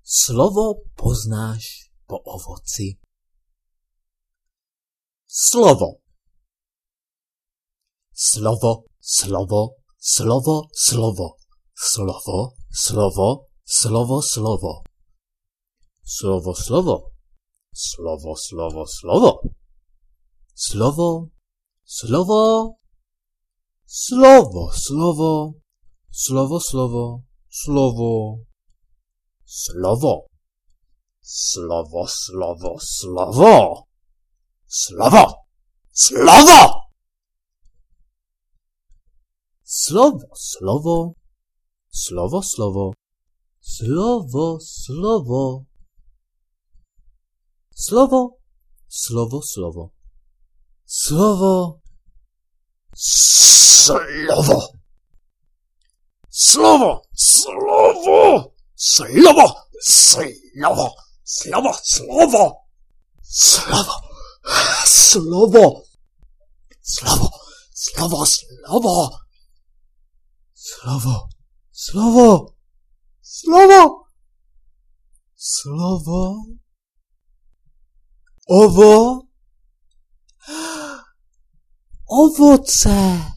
Slovo poznáš po ovoci. Slovo. Slovo, slovo, slovo, slovo. Slovo, slovo, slovo, slovo. Slovo, slovo. Slovo, slovo, slovo. Slovo, slovo. Slovo, slovo. Slovo, slovo. Slovo. Slovo. Slovo, slovo, slovo. Slovo. Slovo. Slovo, slovo. Slovo, slovo. Slovo, slovo. Slovo, slovo, slovo. Slovo. Slovo. Slovo, slovo. Slovo, slovo. Slovo, slovo. Slovo. Slovo. Slovo, slovo, slovo. Slovo, slovo. Slovo. Slovo. Ovoce.